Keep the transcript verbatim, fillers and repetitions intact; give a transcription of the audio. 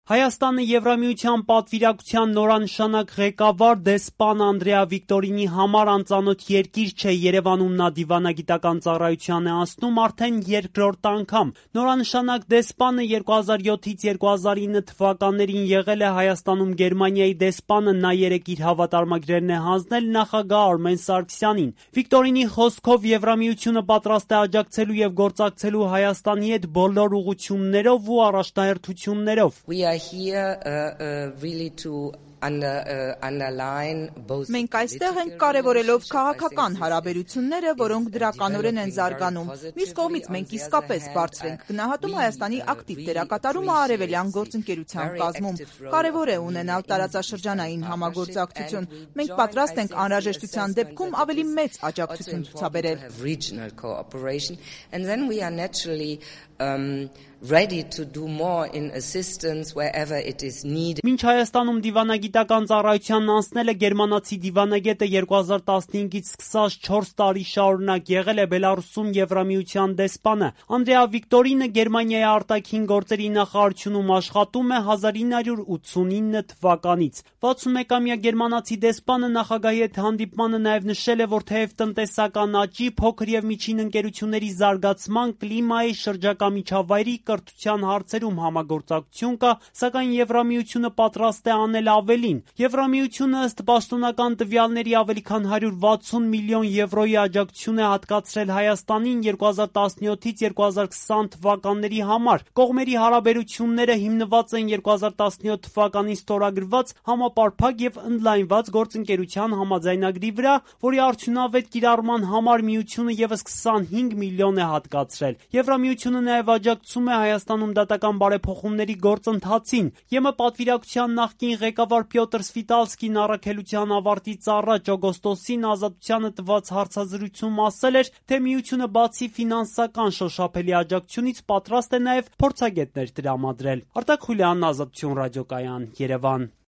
Հայաստանը Եվրամիության պատվիրակության նորանշանակ ղեկավար դեսպան Անդրեա Վիկտորինի համար անծանոթ երկիր չէ, Երևանում նա դիվանագիտական ծառայության է անցնում արդեն երկրորդ անգամ։ Նորանշանակ դեսպանը երկու հազար յոթից երկու հազար ինը թվականներին եղել է Հայաստանում Գերմանիայի դեսպանը, նա երեկ իր հավատարմագրերն է հանձնել նախագահ Արմեն Սարգսյանին։ Վիկտորինի խոսքով Եվրամիությունը պատրաստ է աջակցելու եւ գործակցելու Հայաստանի հետ բոլոր ուղղություններով ու առաջնահերթություններով։ Here, uh, uh, really to under, uh, underline both. Մենք այստեղ ենք կարևորելով քաղաքական հարաբերությունները, որոնք դրականորեն են զարգանում։ Մյուս կողմից մենք իսկապես բարձր ենք գնահատում Հայաստանի ակտիվ դերակատարումը արևելյան գործընկերության կազմում։ Կարևոր է ունենալ տարածաշրջանային համագործակցություն։ Մենք պատրաստ ենք անհրաժեշտության դեպքում ավելի մեծ աջակցություն ցուցաբերել։ Regional cooperation, and then we are naturally um, ready to do more in assistance wherever it is needed. Մինչ Հայաստանում դիվանագիտական ծառայությանն անցնել է գերմանացի դիվանագետը երկու հազար տասնհինգից սկսած չորս տարի շարունակ եղել է Բելարուսում Եվրամիության դեսպանը։ Անդրեա Վիկտորինը Գերմանիայի արտաքին գործերի նախարարությունում աշխատում է հազար ինը հարյուր ութսունինը թվականից։ վաթսունմեկամյա գերմանացի դեսպանը նախագահի հետ հանդիպմանը նաև նշել է, որ թեև տնտեսական աճի, փոքր եւ միջին ընկերությունների զարգացման, կլիմայի, շրջակա միջավայրի, կրթության հարցերում համագործակցություն կա, սակայն Եվրամիությունը պատրաստ է անել ավելին։ Եվրամիությունը ըստ պաշտոնական տվյալների ավելի քան հարյուր վաթսուն միլիոն եվրոյի աջակցություն է հատկացրել Հայաստանին երկու հազար տասնյոթից երկու հազար քսան թվականների համար։ Կողմերի հարաբերությունները հիմնված են երկու հազար տասնյոթ թվականին ստորագրված համապարփակ եւ ընդլայնված գործընկերության համաձայնագրի վրա, որի արդյունավետ կիրառման համար միությունը եւս քսանհինգ միլիոն է հատկացրել։ Եվրամիությունը նաև աջակցում է Հայաստանում դատական բարեփոխումների գործընթացին։ ԵՄ պատվիրակության նախկին ղեկավար Պյոտր Սվիտալսկին առաքելության ավարտից առաջ օգոստոսին Ազատությանը տված հարցազրույցում ասել էր, թե միությունը բացի ֆինանսական շոշափելի աջակցությունից պատրաստ է նաև փորձագետներ տրամադրել։ Արտակ Խուլյանն, Ազատություն ռադիոկայան, Երևան։